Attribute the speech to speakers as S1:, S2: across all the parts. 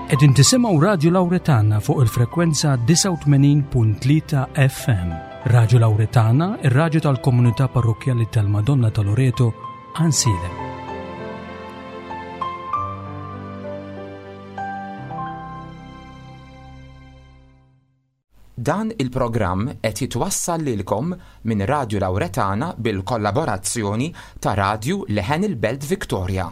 S1: Qegħdin tisimgħu Radju Lawretana fuq il-frekwenza 89.3 FM. Radju Lawretana, ir-radju tal-komunità parrokkjali tal-Madonna ta' Loreto, Għansielem.
S2: Dan il-programm qed jitwassal lilkom minn Radju Lawretana bil-kollaborazzjoni ta' Radju Leħen il-Belt Victoria.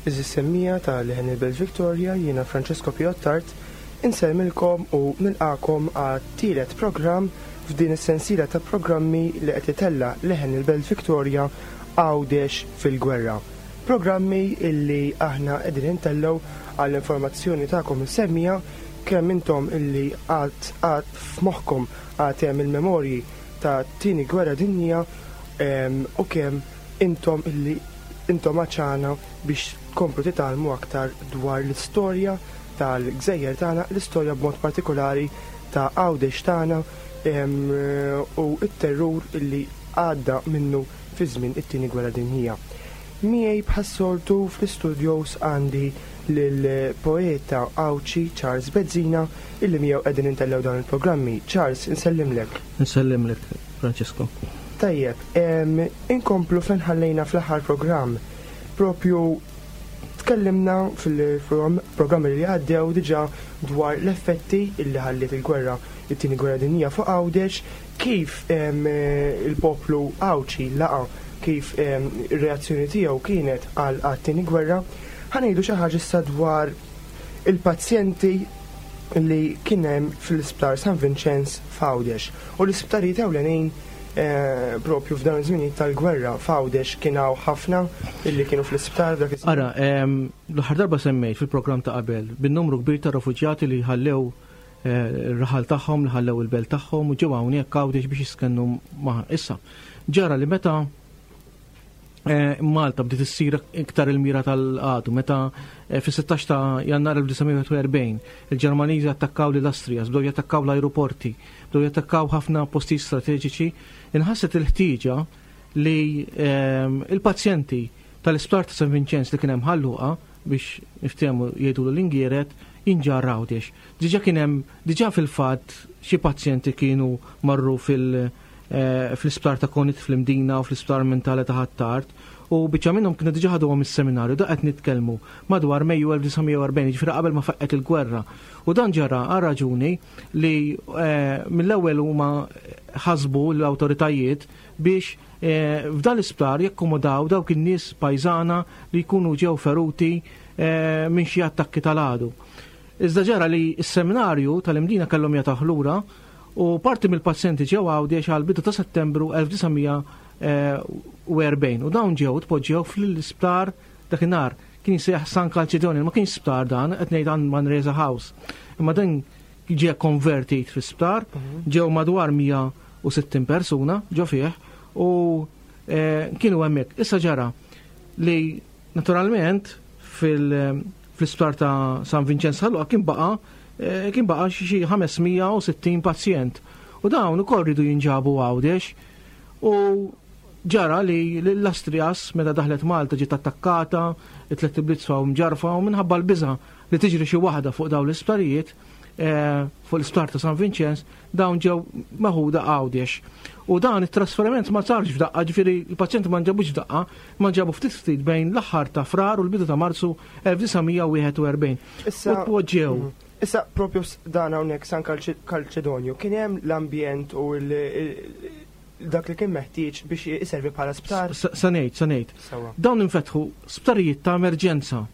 S3: Għeżież semmiegħa ta' Leħen il-Belt Victoria, jiena Francesco Piottart, insellmilkom u nilqagħkom għat-tielet programm f'din is-sensiela ta' programmi li qed itella' Leħen il-Belt Victoria Għawdex fil-Gwerra. Programmi illi aħna qegħdin intellgħu għall-informazzjoni tagħkom is-semmiegħa kemm intom illi għad għad f'moħħkom għad hemm il-memorji tat-Tieni Gwerra Dinjija u kemm intom illi intom għatxana biex tkomplu titgħallmu aktar dwar l-istorja tal-gżejjer tagħna, l-istorja b'mod partikolari ta' Għawdex tagħna u t-terrur illi għadda minnu fi żmien it-Tieni Gwerra Dinjija. Miegħi bħas-soltu fl-istudios għandi lill-poeta Għawdxi Charles Bezzina illi miegħu qegħdin intellgħu dawn il-programmi. Charles, insellimlek.
S4: Insellimlek, Francesco.
S3: Tajjeb, inkomplu fejn ħallejna fl-aħħar programm. Propju tkellimna fil-programmi li għaddew diġà dwar l-effetti illi ħalliet il-gwerra, it-Tieni Gwerra Dinjija fuq Għawdex, kif il-poplu Għawdxi laqa' kif ir-reazzjoni tiegħu kienet għal għat-Tieni Gwerra. Ħa ngħidu xi ħaġa issa dwar il-pazjenti li kien hemm fl-Isptar San Vinċenz f'Għawdex u l-isptarijiet ewlenin propju f'dawn iż-żminijiet tal-gwerra f'Għawdex kien hawn ħafna illi kienu fl-isptar f'dak iż-żmien.
S4: Ara, l-aħħar darba semmejt fil-programm ta' qabel bin-numru kbir ta' refuġjati li ħallew ir-raħal tagħhom, li ħallew il-belt tagħhom u ġew hawnhekk Għawdex biex jiskennu ma' issa. Ġara li meta eh, Malta bdiet issir iktar il-mira tal-għadu meta eh, fis-16 ta' Jannar 1941 il-Ġermaniżi attakkaw lil Astrija, bdew jattakkaw l-ajruporti, bdew jattakkaw ħafna postijiet strateġiċi, inħasset il-ħtieġa li eh, il-pazjenti tal-isptar ta' San Vinċenz li kien hemm ħalluqa biex niftehmu jgħidu l-ingieret jinġarr Għawdex. Diġà kien hemm, diġà fil-fatt xi pazjenti kienu marru fil- eh, fl-isptar ta' Konit fl-Imdina u fl-isptar mentali ta' Ħ'Attard u biċċa minnhom kienu diġà ħaduhom is-seminarju, da qed nitkellmu madwar Mejju 1940, jiġifieri qabel ma faqqgħet il-gwerra. U dan ġara għal raġuni li eh, mill-ewwel huma ħasbu l-awtoritajiet biex eh, f'dan l-isptar jakkomodaw dawk in-nies pajżana li jkunu ġew feruti minn xi attakki tal-għadu. Iżda ġara li s-seminarju tal-Imdina kellhom jagħtawh lura u parti mill-pazjenti ġew Għawdex għal bidu ta' Settembru 1940 u dawn ġew tpoġġew fl-isptar dakinhar kien jissejjaħ San Calcedonio, ma kienx sptar dan, qed ngħid għand Manresa House. Imma dan ġie konvertit fi sptar, mhm. ġew madwar 160 persuna ġo fih u eh, kienu hemmhekk. Issa ġara li naturalment fil- Fl-isptar ta' San Vinċenz Ħal Luqa kien baqa' eh, kien baqa' xi 560 pazjent. U dawn ukoll ridu jinġabu Għawdex u ġara li l-Astrias meta daħlet Malta ġiet attakkata, it-tlet ibliet sfaw mġarfa u minħabba l-biża' li tiġri xi waħda fuq dawn l-isptarijiet, eh, fuq l-isptar ta' San Vinċenz, dawn ġew meħuda Għawdex. U dan it-trasferiment ma sarx f'daqqa, ġifieri l-pazjenti ma nġabux f'daqqa, ma nġabu ftit ftit bejn l-aħħar ta' Frar u l-bidu ta' Marzu 1941.
S3: Issa
S4: U tpoġġew.
S3: Mhm. Issa propju dan hawnhekk San Kalċedonju kien hemm l-ambjent u dak li kien meħtieġ biex iservi bħala sptar.
S4: Sa ngħid, sa ngħid. Dawn infetħu sptarijiet ta' emerġenza.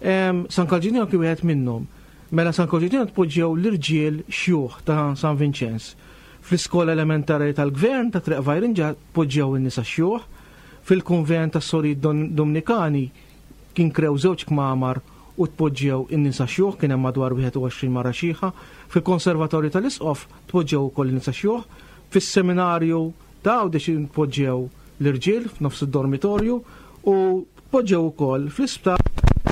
S4: San Kalġinjon kien wieħed minnhom. Mela San Kalġinjon tpoġġew l-irġiel xjuħ ta' San Vinċenz. Fl-iskola elementari tal-gvern ta' Triq Vajrinġa tpoġġew in-nisa xjuħ. Fil-kunvent tas-Sorijiet Dumnikani kien krew żewġ kmamar u tpoġġew in-nisa xjuħ, kien hemm madwar 21 mara xiħa. Fil-Konservatorju tal-Isqof tpoġġew ukoll in-nisa xjuħ. Fis-Seminarju ta' Għawdex tpoġġew l-irġiel f'nofs id-dormitorju u tpoġġew ukoll fl-isptar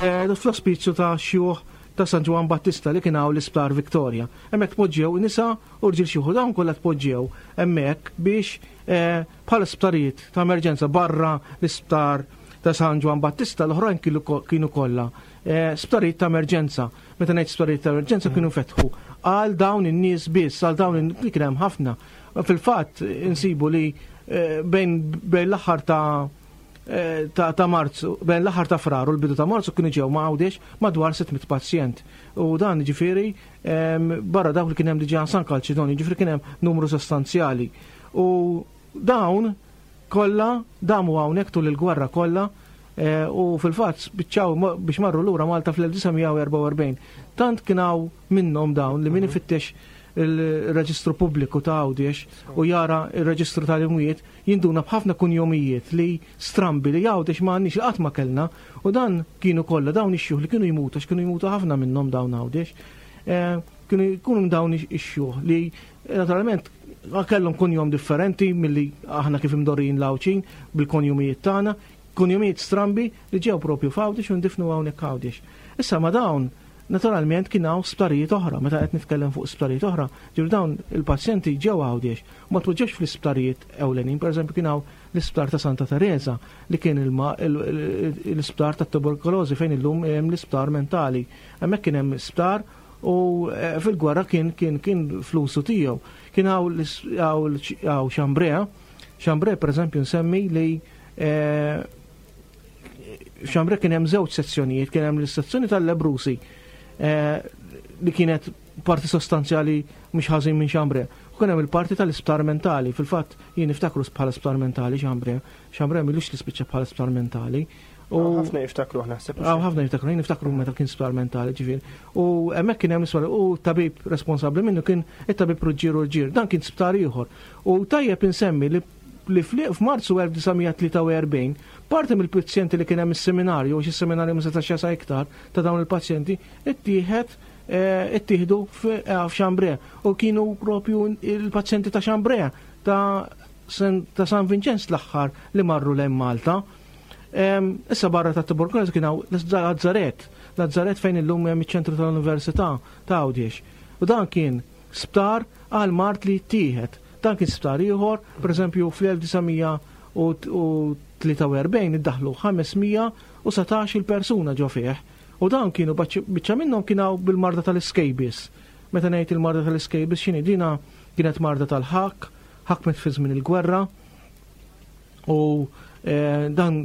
S4: eh, fl-ospizju ta' xjuħ ta' San Ġwann Battista li kien hawn l-Isptar Victoria. Hemmhekk tpoġġew nisa u rġiel xjuħ u dawn kollha tpoġġew hemmhekk biex eh, bħala sptarijiet ta' emerġenza barra l-isptar ta' San Ġwann Battista l-oħrajn kienu kollha eh, sptarijiet ta' emerġenza. Meta ngħid sptarijiet ta' emerġenza kienu fetħu għal dawn in-nies biss, għal dawn li kien hemm ħafna. Fil-fatt insibu li eh, bejn bejn l-aħħar ta' eh, ta', ta Marzu, bejn l-aħħar ta' Frar u l-bidu ta' Marzu kienu ġew ma' Għawdex madwar 600 pazjent. U dan ġifieri barra dawk li kien hemm diġà San Kalċidoni, ġifieri kien hemm numru sostanzjali. U dawn kollha damu hawnhekk tul il-gwerra kollha eh, u fil-fatt spiċċaw biex marru lura Malta fl-1944. Tant kien hawn minnhom dawn li min mhm. ifittex il-reġistru pubbliku ta' Għawdex u jara il-reġistru tal-imwiet jinduna b'ħafna kunjomijiet li strambi li Għawdex ma għandniex li qatt ma kellna u dan kienu kollha dawn ix-xjuħ li kienu jmutu għax kienu jmutu ħafna minnhom dawn Għawdex. Eh, kienu jkunu dawn ix-xjuħ li Naturalment, kellhom kunjom differenti milli aħna kif imdorrijin l-Għawdxin bil-konjumijiet tagħna, kunjumijiet strambi li ġew propju f'Għawdex u ndifnu hawnhekk Għawdex. Issa ma' dawn, naturalment kien hawn sptarijiet oħra, meta qed nitkellem fuq sptarijiet oħra, ġifieri dawn il-pazjenti ġew Għawdex u ma tpoġġewx fl-isptarijiet ewlenin, pereżempju kien hawn l-isptar ta' Santa Tereża li kien l-isptar tat-tuberkulożi fejn illum hemm l-isptar mentali. Hemmhekk kien hemm sptar U eh, fil-gwerra kien kien kien flusu tiegħu. Kien hawn Xambrea, Xambrea pereżempju nsemmi li eh, Xambrea kien hemm żewġ sezzjonijiet, kien hemm l-sezzjoni tal-Lebrusi eh, li kienet parti sostanzjali mhux ħażin minn Xambrea. U kien hemm il-parti tal-isptar mentali, fil-fatt jien niftakru bħala sptar mentali Xambrea. Xambrea milux li spiċċa bħala sptar mentali.
S3: U ħafna jiftakru naħseb.
S4: Għaw ħafna jiftakru, jien niftakru meta kien sptar mentali ġifieri. U hemmhekk kien hemm isfar u tabib responsabbli minnu kien it-tabib Ruġġieru Ruġġier. Dan kien sptar ieħor. U tajjeb insemmi li li f'Marzu 1943 parti mill-pazjenti li kien hemm is-seminarju, għax is-seminarju ma setax jasa iktar ta' dawn il-pazjenti, ittieħed eh, ittieħdu eh, f'Xambre u kienu propju il-pazjenti ta' Xambre ta' ta' San Vinċenz l-aħħar li marru lejn Malta. Issa barra ta' tuberkulożi kien hawn Lazzaret, Lazzaret fejn illum hemm iċ-ċentru tal-Università ta' Għawdex. U dan kien sptar għal mard li jittieħed. Dan kien sptar ieħor, pereżempju fl-1943 iddaħlu 517 il-persuna ġo fih. U dawn kienu biċċa minnhom kien hawn bil-marda tal-scabies. Meta ngħid il-marda tal-scabies x'inhi dina kienet marda tal-ħakk, ħakmet fi żmien il-gwerra, U eh, dan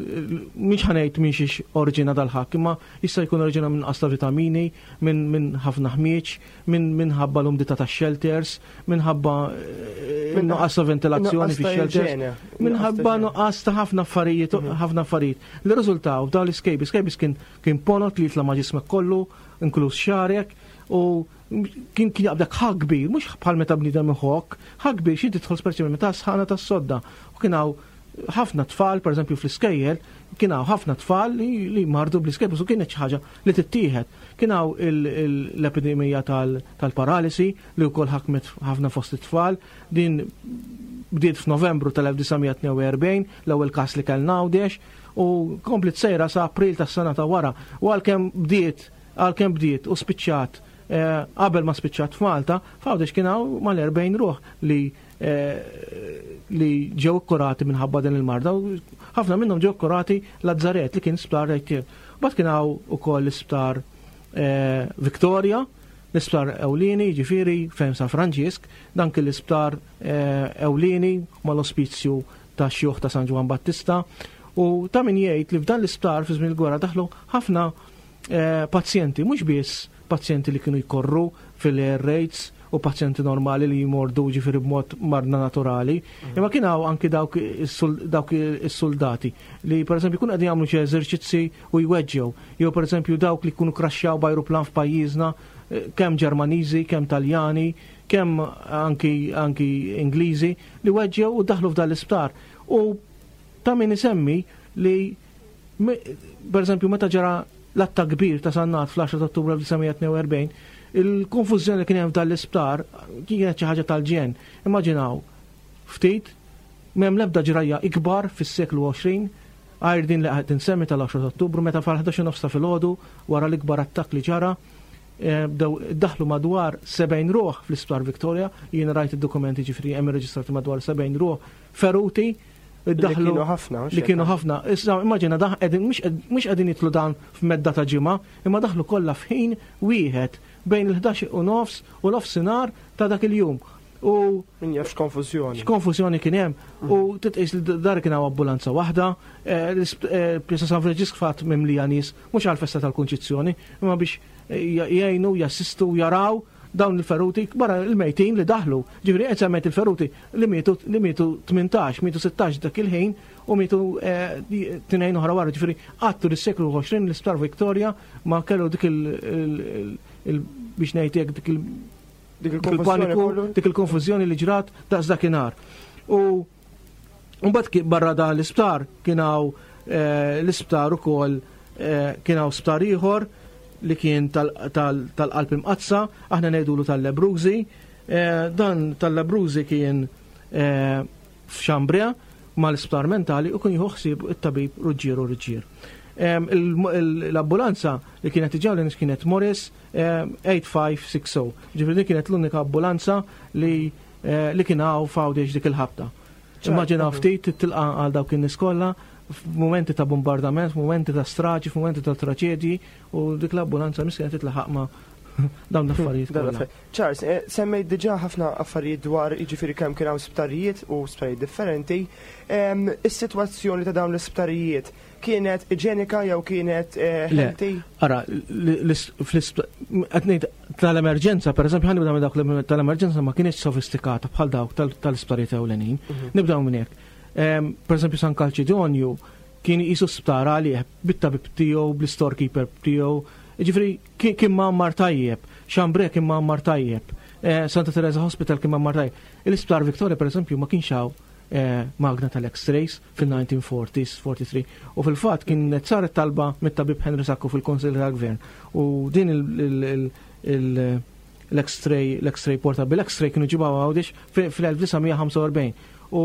S4: mhix ħanejt minn xiex oriġina dal-ħakk, imma jista' jkun oriġina minn qasta vitamini, minn ħafna ħmieġ, minn minħabba l-umdità tax-shelters, minħabba eh, nuqqas ta' ventilazzjoni fix-shelters, minħabba nuqqas ta' ħafna affarijiet, mhm. ħafna affarijiet. Li riżultaw dawn l-iskejbi, scabies kien kien ponot li jitla' ma' ġismek kollu, inkluż xarek, u kien kien jaqbdek ħak kbir, mhux bħal meta bniedem iħokk, ħak kbir xi tidħol speċjalment meta sħana tas-sodda. U kien hawn ħafna tfal, pereżempju fl-iskejjel, kien hawn ħafna tfal li, li mardu bl-iskejjel, u kienet xi ħaġa li tittieħed. Kien hawn l-epidemija tal-paralisi li wkoll ħakmet ħafna fost it-tfal. Din bdiet f'Novembru tal-1942, l-ewwel każ li kellna Għawdex, u komplet sejra sa April tas-sena ta' wara. U għalkemm bdiet Għalkemm bdiet u spiċċat eh, qabel ma spiċċat f'Malta, f'Għawdex kien hawn mal-40 ruħ li eh, li ġew ikkurati minħabba din il-marda u ħafna minnhom ġew ikkurati Lazzaret li kien sptar rejtier. Bad kien hawn ukoll l-isptar eh, Victoria, l-isptar Ewlieni, ġifieri fejn San Franġisk, dan kien l-isptar Ewlieni mal-ospizju ta' xjuħ ta' San Ġwann Battista u ta' min jgħid li f'dan l-isptar fi żmien il-gwerra daħlu ħafna Eh, pazjenti, mhux biss pazjenti li kienu jkorru fil-air raids u pazjenti normali li jmordu ġifieri b'mod marna naturali. Imma kien hawn anki dawk is-soldati li pereżempju jkunu qegħdin jagħmlu xi eżerċizzi u jweġġew, jew pereżempju dawk li jkunu kraxxjaw b'ajruplan f'pajjiżna, eh, kemm Ġermaniżi, kemm Taljani, kemm anki anki Ingliżi li weġġew u daħlu f'dan l-isptar. U ta' min isemmi li Per eżempju, meta ġara l-attakk kbir ta' Sannat fl-10 ta' Ottubru 1942, il-konfużjoni li kien hemm f'dan l-isptar kienet xi ħaġa tal-ġenn. Immaġinaw, ftit, m'hemm l-ebda ġrajja ikbar fis-seklu 20 għajr din li qed insemmi tal-10 ta' Ottubru meta fal-11 nofs ta' filgħodu wara l-ikbar attakk li ġara eh, bdew daħlu madwar 70 ruħ fl-isptar Victoria, jien rajt id-dokumenti ġifri hemm irreġistrati madwar 70 ruħ feruti
S3: Li kienu ħafna.
S4: Li kienu ħafna. Issa immaġina daħ qegħdin mhux qegħdin jitlu dan f'medda ta' ġimgħa, imma daħlu kollha f'ħin wieħed bejn il-11 u nofs u nofsinhar ta' dak il-jum.
S3: U min jaf x'konfużjoni.
S4: X'konfużjoni kien hemm. U mhm. titqis li dar kien hawn ambulanza waħda, eh, eh, Pjazza San Franġisk fatt mimlija nies mhux għall-festa tal-Kunċizzjoni, imma biex eh, jgħinu, jassistu, jaraw dawn il-feruti, barra il-mejtin li daħlu. Ġifieri qed semmejt il-feruti li mietu li mietu 18, mietu 16 dak il-ħin u mietu eh, tnejn oħra wara. Ġifieri għattu lis-seklu 20 l-Isptar Victoria ma kellu dik il biex ngħid dik il
S3: dik il-paniku,
S4: dik il-konfużjoni li ġrat daqs dakinhar. U mbagħad barra dan l-isptar kien hawn eh, l-isptar ukoll eh, kien hawn sptar ieħor li kien tal-qalb imqaddsa, aħna ngħidulu tal-Lebrużi. Eh, dan tal-Lebrużi kien f'Xambria mal-isptar mentali u kien jieħu ħsieb it-tabib Ruġġieru Ruġġier. L-ambulanza li kienet iġawli kienet Morris 8560. Ġifieri din kienet l-unika ambulanza li Eh, li kien hawn f'Għawdex dik il-ħabta. Immaġina ftit tilqa għal dawk in-nies kollha f'mumenti ta' bombardament, f'mumenti ta' straġi, f'mumenti ta' traċedji u dik l-ambulanza miskina titlaħaq ma' dawn l-affarijiet kollha.
S3: Charles, eh, semmejt diġà ħafna affarijiet dwar jiġifieri kemm kien hawn sptarijiet u sptarijiet differenti. Is-sitwazzjoni ta' dawn l-isptarijiet Kienet iġenika jew kienet eh,
S4: healthy? Ara, qed ngħid tal-emerġenza, pereżempju ħa nibda minn dawk tal-emerġenza ma kienx sofistikata bħal dawk tal-isptarijiet ewlenin. Mhm. Nibdew minn hekk. Pereżempju San Kalċidonju kien jisu sptar għalih bit-tabib tiegħu, bl-storekeeper tiegħu. Ġifieri kien mgħammar tajjeb, Xambre kien mgħammar tajjeb, eh, Santa Teresa Hospital kien mgħammar tajjeb. Il-Isptar Victoria pereżempju ma kienx hawn eh, magna tal-X-rays fil-1940s, 43, u fil-fatt kienet saret talba mit-tabib Henry Sacco fil-Konsil tal-Gvern u din l-X-ray, l-X-ray portable X-ray kienu ġibaw għawdix fil-1945 u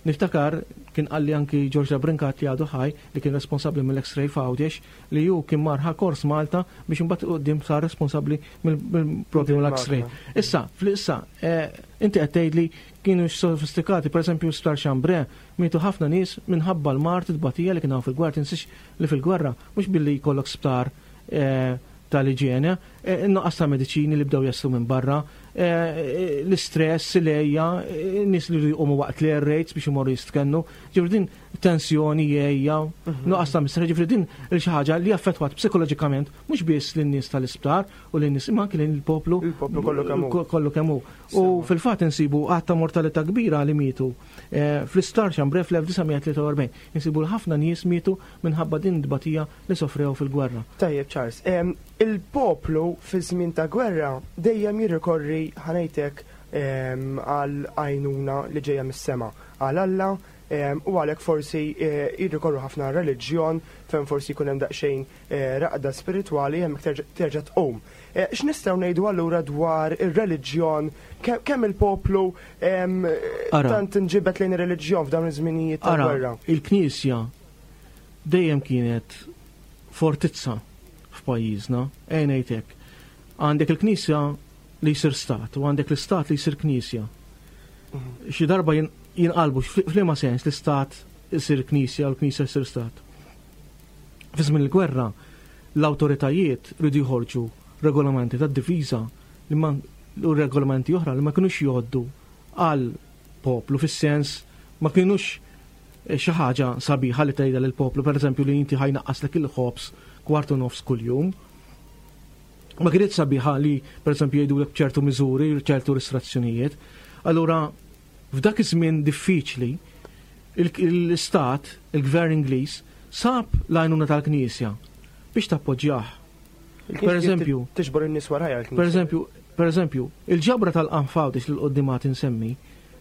S4: niftakar kien qalli anki George Brincat li għadu ħaj li kien responsabbli mill-X-ray f'Għawdex li ju kien marħa kors Malta biex imbagħad qudiem sar responsabbli mill-propju l-X-ray. Issa, fl-issa, eh, inti qed tgħidli Kienu sofistikati, pereżempju Sptar Chambre, mietu ħafna nies minħabba l-mard it-tbatija li kien hawn fil-gwerra, tinsiex li fil-gwerra mhux billi jkollok sptar eh, tal-iġene, eh, in-nuqqas ta' mediċini li bdew jaslu minn barra, eh, l-istress, l-ejja, nies li jqumu waqt l-air raids biex imorru jistkennu, ġifri din tensjoni, ejja, mhm. nuqqas ta' mistrieħ, ġifri din xi ħaġa li affettwat psikoloġikament mhux biss lin-nies tal-isptar u lin-nies imma anki lill-poplu
S3: Il-poplu kollu kemm hu.
S4: Kollu kemm hu. U fil-fatt insibu għadd ta' mortalità kbira li mietu eh, fl-isptar Chambre fl-1943. Insibu li ħafna nies mietu minħabba din it-tbatija li sofrew fil-gwerra.
S3: Tajjeb Charles, il-poplu fi żmien ta' gwerra dejjem jirrikorri ħanejtek għal għajnuna li ġejja mis-sema, għal Alla, u għalhekk forsi eh, jirrikorru ħafna reliġjon fejn forsi jkun hemm daqsxejn eh, raqda spiritwali hemmhekk terġa' tqum. Eh, x'nistgħu ngħidu allura dwar ir-reliġjon kemm il-poplu tant inġibet lejn ir-reliġjon f'dawn iż-żminijiet ta' gwerra?
S4: Il-Knisja dejjem kienet fortizza f'pajjiżna, ejja ngħid hekk. Għandek il-Knisja li jsir stat u għandek l-istat li jsir Knisja. Mhm. Xi darba jinqalbu f'liema sens l-istat isir Knisja u l-Knisja jsir stat. Fi żmien il-gwerra, l-awtoritajiet riedu joħorġu regolamenti tad-difiża li ma u regolamenti oħra li ma kinux jgħoddu għal poplu fis-sens ma kinux eh, xi ħaġa sabiħa li tgħidha lill-poplu, pereżempju li inti ħajnaqqaslek il-ħobż kwart u nofs kuljum. Ma kienet sabiħa li pereżempju jgħidulek ċertu miżuri, ċertu restrizzjonijiet. Allura f'dak iż-żmien diffiċli l-istat, il-gvern Ingliż, sab l-għajnuna tal-Knisja biex tappoġġjah.
S3: Per eżempju, tiġbor in-nies warajha
S4: l-Knisja. Per eżempju, per eżempju, il-ġabra tal-qamħ f'Għawdex li l-quddiem għad insemmi,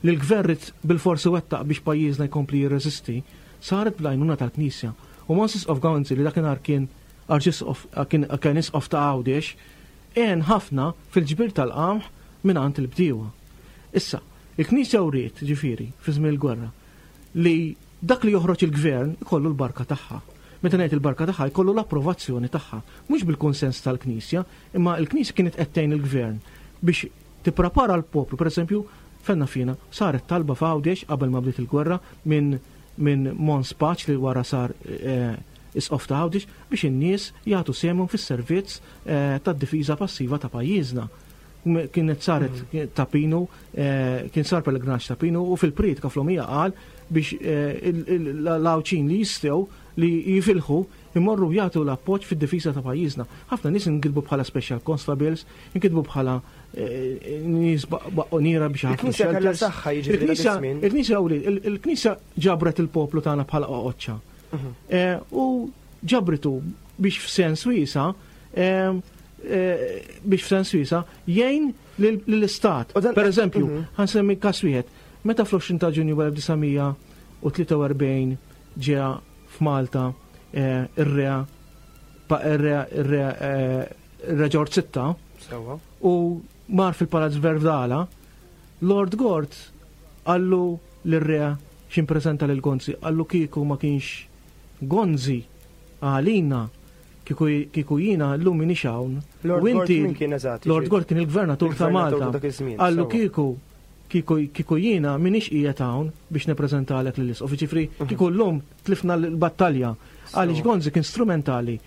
S4: li l-gvern ried bilfors iwettaq biex pajjiżna jkompli jirreżisti, saret bl-għajnuna tal-Knisja. U Mons Isqof Gonzi li dakinhar kien Arċisqof kien kien Isqof ta' Għawdex, għen ħafna fil-ġbir tal-qamħ mingħand il-bdiewa. Issa, il-Knisja wriet, ġifieri, fi żmien il-gwerra, li dak li joħroġ il-gvern ikollu l-barka tagħha. Meta ngħid il-barka tagħha, jkollu l-approvazzjoni tagħha. Mhux bil-kunsens tal-Knisja, imma l-Knisja kienet qed tgħin il-gvern biex tipprepara l-poplu. Per eżempju, fenna fina, saret talba f'Għawdex qabel ma bdiet il-gwerra minn minn Mons Paċ li wara sar eh, Isqof ta' Għawdex biex in-nies jagħtu sehemhom fis-servizz eh, tad-difiża passiva ta' pajjiżna. Kienet saret mhm. ta' Pinu, eh, kien sar pellegrinaġġ ta' Pinu u fil-priedka fl-omija qal biex eh, l-Għawdxin li jistgħu li jifilħu imorru jagħtu l-appoġġ fid-difiża ta' pajjiżna. Ħafna nies inkitbu bħala special constables, inkitbu bħala eh, nies baqqoniera biex
S3: ħafna. Il-Knisja kellha saħħa jiġifieri.
S4: Il-Knisja il-Knisja ġabret il-poplu tagħna bħala qoqoċċa. Mhm. Eh, u ġabritu biex f'sens wiesa eh, eh, biex f'sens wiesa jgħin lill-istat. Per eżempju, mhm. ħansemmi kas wieħed, meta fl-20 ta' Ġunju 1943 ġeja f'Malta ir-re ir-re ir-re Ġorġ Sitta u mar fil-Palazz Verdala, Lord Gort qallu lir-re x'impreżenta lil Gonzi, qallu kieku ma kienx Gonzi għalina, kieku kieku jiena llum m'iniex hawn.
S3: Lord U inti Gort min kien eżatt?
S4: Lord Gort kien il-gvernatur ta' Malta. Qallu kieku kieku kieku jiena m'iniex qiegħed hawn biex nippreżentalek lill-isqof. Jiġifieri mhm. kieku llum tlifna l-battalja. Għaliex Gonzi kien strumentali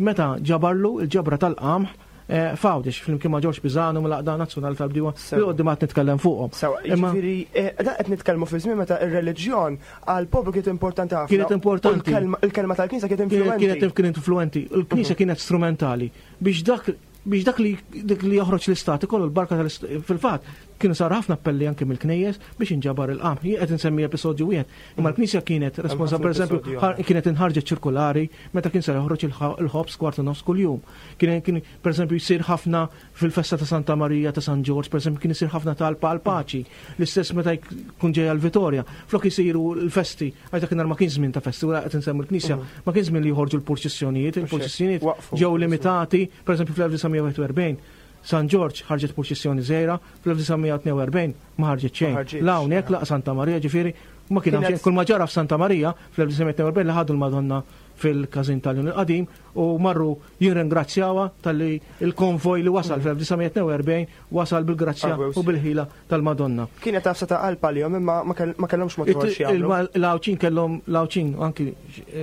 S4: meta ġabarlu il-ġabra tal-qamħ Eh, F'Għawdex, flimkien ma' Ġorġ Pisanu mill-Għaqda Nazzjonali tal-Bdiewa, li qudiem għad nitkellem fuqhom.
S3: Sewa, jiġifieri eh, dan qed nitkellmu fi żmien meta r-reliġjon għall-poplu kienet importanti ħafna.
S4: Kienet importanti.
S3: Il-kelma tal-Knisja kienet influenti.
S4: Kienet kienet influenti. Il-Knisja mhm. kienet strumentali biex dak biex dak li dik li joħroġ l-istat ikollu l-barka tal fil-fatt kienu sar ħafna appelli anke mill-knejjes biex inġabar il-qam. Jien qed insemmi episodju wieħed, imma l-Knisja kienet responsabbli pereżempju kienet inħarġet ċirkulari meta kien se joħroġ il-ħobż kwarta nofs kuljum. Kien kien pereżempju jsir ħafna fil-festa ta' Santa Marija ta' San Ġorġ, pereżempju kien isir ħafna talb għal paċi. L-istess meta jkun ġejja l-Vitorja. Flok isiru l-festi, għax dakinhar ma kienx żmien ta' festi, wara qed insemmu l-Knisja, mhm. ma kienx żmien li joħorġu l-purċissjonijiet, il-purċissjonijiet ġew limitati, pereżempju fl-1941 San Ġorġ ħarġet purċissjoni żgħira, fl-1942 ma ħarġet xejn. La hawnhekk laq Santa Marija ġifieri ma kien hemm xejn. Kull ma ġara f'Santa Marija fl-1942 li ħadu l-Madonna fil-każin tal-Jun il-Qadim u marru jirringrazzjawha talli l-konvoj li wasal fl-1942 wasal bil-grazzja u bil-ħila tal-Madonna.
S3: Kienet għafsa ta' qalb għalihom imma ma kellhomx mod ieħor
S4: x'jagħmlu. L-Għawdxin kellhom l-Għawdxin anki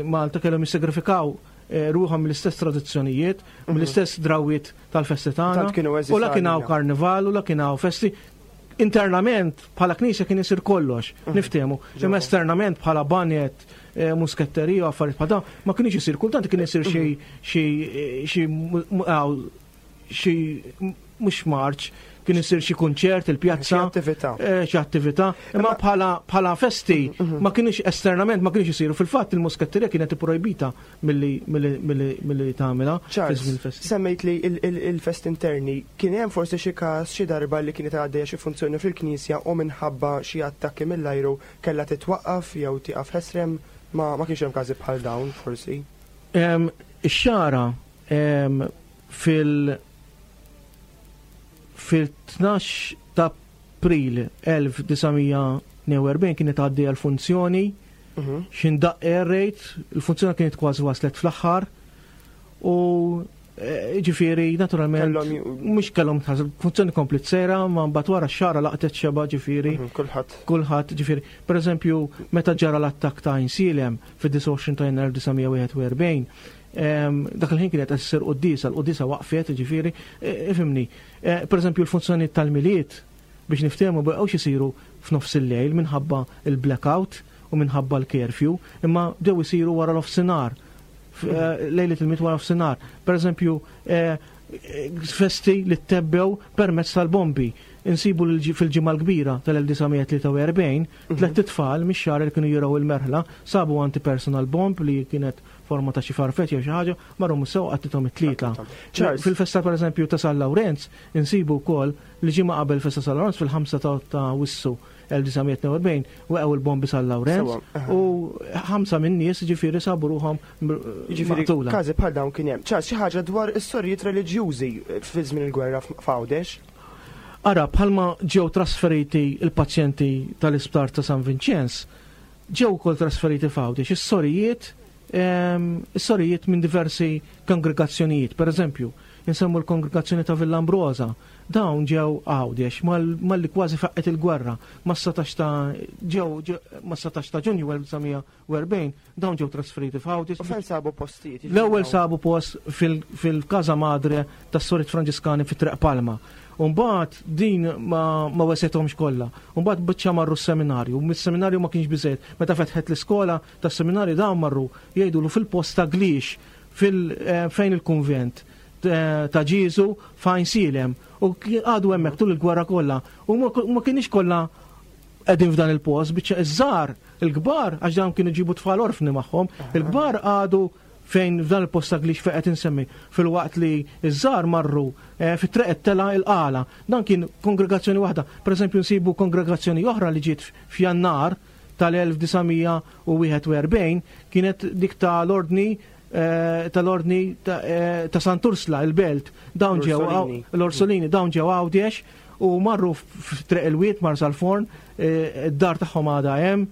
S4: Malta kellhom jissagrifikaw eh, ruħhom mill-istess tradizzjonijiet, mhm. mill-istess drawwiet tal-festi tagħna. U la kien hawn karnival u la kien hawn festi. Internament bħala knisja kien isir kollox, mhm. niftehmu. Imma esternament bħala banet, eh, musketterija u affarijiet bħal dawn, ma kienx isir kultant kien isir xi xi xi xi mhux marċ, kien isir xi kunċert il-pjazza.
S3: Xi attività.
S4: Eh, xi attività. Imma bħala bħala festi mhm. ma kienx esternament ma kienx isiru. Fil-fatt il-musketterija kienet ipprojbita milli milli tagħmilha
S3: fi festi. Semmejt li il-fest interni kien hemm forsi xi każ xi darba li kienet għaddejja xi funzjoni fil-knisja u minħabba xi attakki mill-ajru kellha titwaqqaf jew tieqaf ħesrem ma ma kienx hemm każi bħal dawn forsi.
S4: Ix-xagħra fil fil-12 ta' April 1942 kienet għaddejja l-funzjoni mhm. x'indaq air raid, il-funzjoni kienet kważi waslet fl-aħħar u eh, ġifieri naturalment mhux kellhom funzjoni komplet sejra ma mbagħad wara x-xara laqtet xeba ġifieri.
S3: Mhm, kulħadd.
S4: Kulħadd ġifieri. Pereżempju meta ġara l-attakk ta' Insilem fid-29 ta' Jannar 1941 Dak il-ħin kienet qed issir quddiesa, l-quddiesa waqfet, ġifieri, e, ifhimni. E, pereżempju l-funzjonijiet tal-Milied biex niftehmu baqgħux isiru f'nofs il-lejl minħabba il-blackout u minħabba l-curfew, imma bdew isiru wara nofsinhar. E, lejlet il-Milied wara nofsinhar. Pereżempju, festi li tebbew permezz tal-bombi. Insibu fil-ġimgħa l-kbira tal-1943, tlett itfal mix-xagħar li kienu jirgħu il-merħla sabu anti-personal bomb li kienet forma ta' xi farfett jew xi ħaġa, marru mussew qatlithom it-tlieta. Fil-festa pereżempju ta' San Lawrenz insibu wkoll li ġimgħa qabel festa San Lawrenz fil-5 ta' Awwissu 1942 weqgħu il-bombi San Lawrenz u ħamsa minn nies ġifieri sabu ruħhom
S3: Ġifieri każi bħal dawn kien hemm. Charles, xi ħaġa dwar is-sorijiet reliġjużi fi żmien il-gwerra f'Għawdex?
S4: Ara, bħalma ġew trasferiti il-pazjenti tal-isptar ta' San Vinċenz, ġew ukoll trasferiti f'Għawdex is-sorijiet is-sorijiet minn diversi kongregazzjonijiet. Per eżempju, insemmu l-kongregazzjoni ta' Villa Ambrosa, dawn ġew Għawdex malli kważi faqqet il-gwerra, mas-17 ta' ġew mas-17 ta' Ġunju 1940, dawn ġew trasferiti f'Għawdex.
S3: U fejn sabu postijiet?
S4: L-ewwel sabu post fil-Casa Madre tas-Sorijiet Franġiskani fi Triq Palma. U mbagħad din ma, ma wesethomx kollha. U mbagħad biċċa marru s-seminarju. Mis-seminarju ma kienx biżejjed. Meta fetħet l-iskola tas-seminarju dawn marru jgħidulu fil-post ta' Glix fil eh, fejn il-kunvent eh, ta' Ġieżu f'Għajn Sielem u għadu hemmhekk tul il-gwerra kollha. U ma kienx kollha qegħdin f'dan il-post biċċa iż-żgħar, il-kbar għax dawn kienu ġibu tfal orfni magħhom, il-kbar għadu fejn f'dan il-post ta' glix fejn qed insemmi, filwaqt li ż-żgħar marru eh, fit-triq tela il-qala. Dan kien kongregazzjoni waħda. Per eżempju nsibu kongregazzjoni oħra li ġiet f'Jannar tal-1941 kienet dik tal-ordni eh, tal-ordni ta' eh, Sant'Ursla, il-belt, dawn ġew l-Orsolini, dawn ġew Għawdex u marru f'Triq il-Wied, Marsalforn, id-dar tagħhom għadha hemm,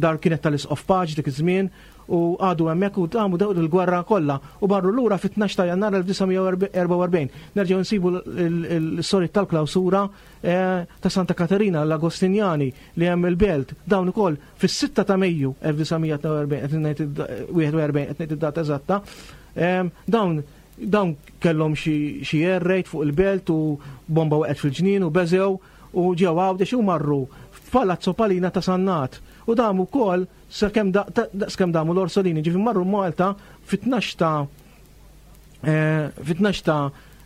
S4: dar kienet tal-Isqof Paċ dik iż-żmien, u għadu hemmhekk u damu daw il-gwerra kollha u marru lura fit-12 ta' Jannar 1944. Nerġgħu nsibu l-istorja tal-klawsura eh, ta' Santa Katerina l-Agostinjani li hemm il-belt dawn ukoll fis-6 ta' Mejju 1941 qed ngħid id-data eżatta, eh, dawn Dawn kellhom xi air raid fuq il-belt u bomba waqgħet fil-ġnien u beżgħu u ġew Għawdex u marru f'Palazzo Palina ta' Sannat. U damu wkoll sakemm daqskemm damu l-Orsolini, ġifieri marru Malta fit-12 ta' eh, fit-12 ta'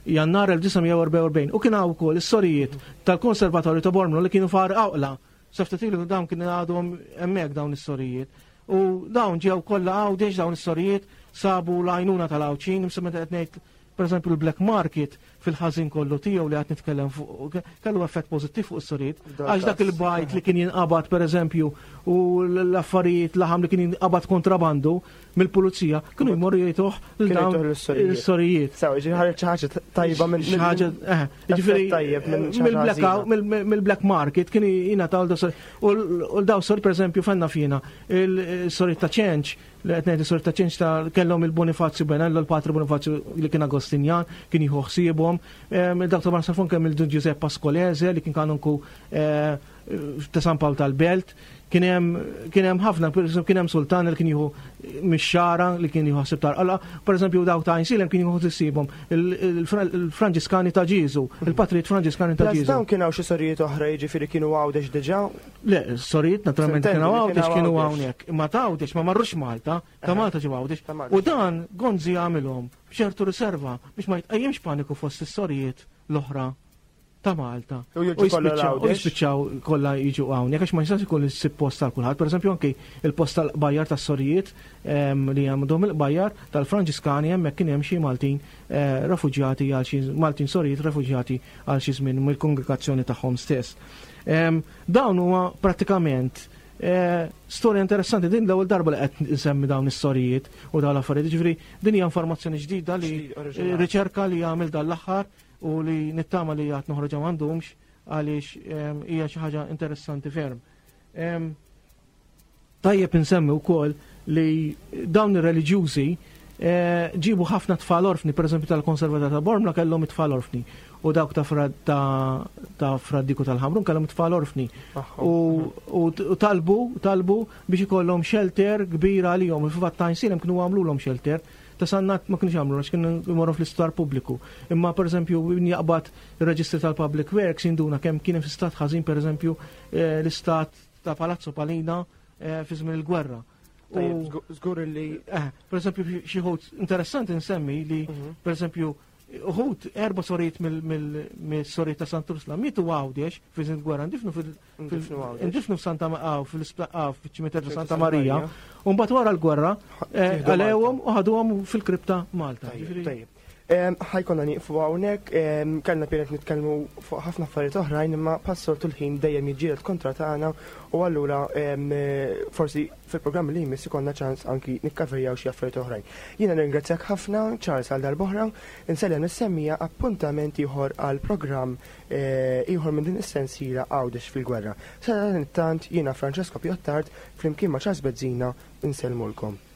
S4: Jannar 1944 u kien hawn ukoll is-sorijiet tal-Konservatorju ta' Bormlo li kienu far Awqla. Sa ftit ilu dawn kienu għadhom hemmhekk dawn is-sorijiet. U dawn ġew kollha Għawdex dawn is-sorijiet sabu l-għajnuna tal-Għawdxin, imsa meta qed ngħid pereżempju l-black market fil-ħażin kollu tiegħu li qed nitkellem fuq kellu effett pożittiv fuq is-sorijiet. Għax dak il-bajt li kien jinqabad pereżempju u l-affarijiet laħam li kien jinqabad kontrabandu mill-pulizija kienu jmorru jgħiduh lil dawn is-sorijiet.
S3: Sew, ġifieri xi ħaġa tajba minn
S4: xi ħaġa eh, ġifieri
S3: tajjeb minn
S4: mill-black market kien jingħataw daw U daw sor pereżempju fenna fina il-sori ta' ċenċ li qed ngħid is-sori ta' ċenċ ta' kellhom il-Bonifazju Benello, l-Patri Bonifazju li kien Agostinjan, kien jieħu ħsiebhom. Dawk ta' Marsalforn kemm il-Dun Giuseppe Pascolese li kien kanonku eh, ta' San Pawl tal-Belt, kien hemm ħafna, kien hemm sultan li kien jieħu mix-xara li kien jieħu ħsieb tal-qalqa, pereżempju dawk ta' Għajnsielem kien jieħu ħsiebhom il-Franġiskani ta' Ġieżu, il-patrijiet Franġiskani ta' Ġieżu.
S3: Dawn kien hawn xi sorijiet oħra jiġifieri kienu Għawdex diġà?
S4: Le, sorijiet naturalment kienu Għawdex kienu hawnhekk, imma ta' Għawdex ma marrux Malta, ta' Malta ġew Għawdex. U dan Gonzi għamilhom b'ċertu riserva biex ma jitqajjimx paniku fost is-sorijiet l-oħra ta' Malta.
S3: U
S4: jispiċċaw kollha jiġu hawnhekk għax ma jistax ikun issib post tal kulħadd. Pereżempju anki il-post tal-qbajjar tas-sorijiet ehm, li għandhom il-qbajjar tal-Franġiskani hemmhekk kien hemm xi Maltin eh, refuġjati għal xi Maltin sorijiet refuġjati għal xi żmien mill-kongregazzjoni tagħhom stess. Ehm, dawn huwa prattikament eh, storja interessanti din l-ewwel darba li qed nsemmi dawn is-sorijiet u dawn l-affarijiet. Ġifieri din hija informazzjoni ġdida li riċerka li għamil dan l-aħħar u li nittama li għad noħroġha m'għandhomx għaliex ehm, hija xi ħaġa interessanti ferm. Ehm, tajjeb insemmi wkoll li dawn ir-reliġjużi eh, ġibu ħafna tfal orfni, per eżempju tal-Konservator ta' Bormla kellhom it-tfal orfni u dawk ta' ta' Fradiku tal-Ħamrun kellhom it-tfal orfni. U talbu talbu biex ikollhom shelter kbira għalihom, fil-fatt ta' kienu għamlulhom shelter Ta' Sannat ma kinux jagħmlu għax kienu jmorru fl-isptar pubbliku. Imma pereżempju min jaqbad ir-reġistri tal-Public Works jinduna kemm kien hemm fi stat ħażin pereżempju eh, l-istat ta' Palazzo Palina eh, fi żmien il-gwerra.
S3: Żgur li.
S4: Eh, pereżempju xi ħut interessanti nsemmi li mhm. pereżempju Uħud erba' sorijiet mill-sorijiet ta' Sant'Ursla mietu Għawdex fi żmien gwerra ndifnu fil ndifnu f'Santa fil-ċimiterju Santa Marija. U mbagħad wara l-gwerra eh, għalewhom u ħaduhom fil-kripta Malta.
S3: Tajjeb. Ħajkonna nieqfu hawnhekk, kellna pjanet nitkellmu fuq ħafna affarijiet oħrajn imma passortu l-ħin dejjem jiġġieled kontra tagħna u allura forsi fil-programm li jmiss ikollna ċans anki nikkaverjaw xi affarijiet oħrajn. Jiena nirringrazzjak ħafna Charles għal darb'oħra, insellem lis-semmiegħa appuntament ieħor għal programm eh, ieħor minn din is-sensiela Għawdex fil-Gwerra. Sadanittant jiena Francesco Piottard flimkien ma' Charles Bezzina insellmulkom.